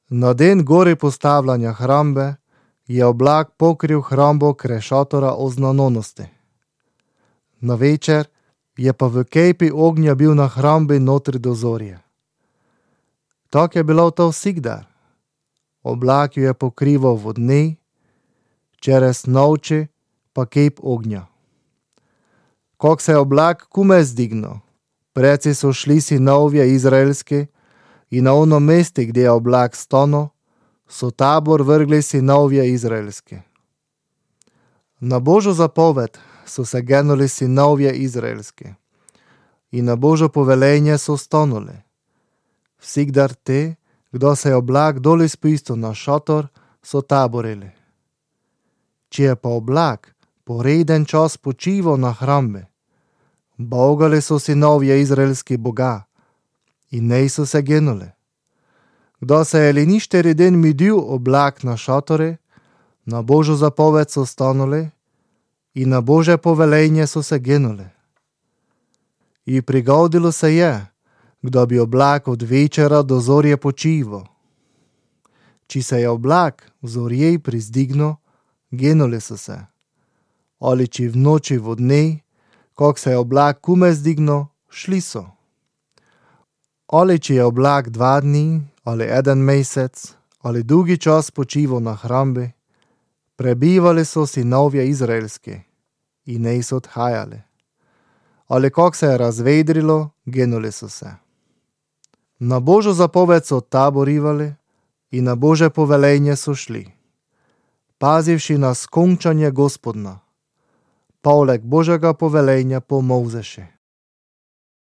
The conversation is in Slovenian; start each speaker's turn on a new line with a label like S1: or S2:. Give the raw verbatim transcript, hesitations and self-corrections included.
S1: Na den gori postavljanja hrambe je oblak pokril hrambo krešatora oznanonosti. Na večer je pa v kejpi ognja bil na hrambi notri do zorje. Tak je bilo to vsikdar. Oblak jo je pokrival v dni, čez noči pa kejp ognja. Kak se je oblak kume zdignil, preci so šli sinovje izraelski i na ono mesti gdje je oblak stano, so tabor vrgli sinovje izraelski. Na Božo zapoved so se genuli sinovje izraelski i na Božo povelenje so stanuli. Vsikdar te, kdo se je oblak doli spustil na šator, so taborili. Če je pa oblak poreden čas počival na hrambi, bogali so sinovje izraelski Boga in nej so se genuli. Kdo se je li ništeri den midil oblak na šatore, na Božo zapoved so stanuli i na Bože povelenje so se genuli. I prigodilo se je, kdo bi oblak od večera do zorje počival. Či se je oblak v zorjej prizdignil, genuli so se. Ali či v noči v dne, kak se je oblak kume zdignil, šli so. Ali či je oblak dva dni, ali eden mesec, ali dolgi čas počival na hrambi, prebivali so sinovje izraelski i nej so odhajali. Ali kak se je razvedrilo, genuli so se. Na Božo zapoved so taborivali i na Bože povelenje so šli, pazivši na skončanje Gospodna, poleg Božega povelenja po Mojzeši.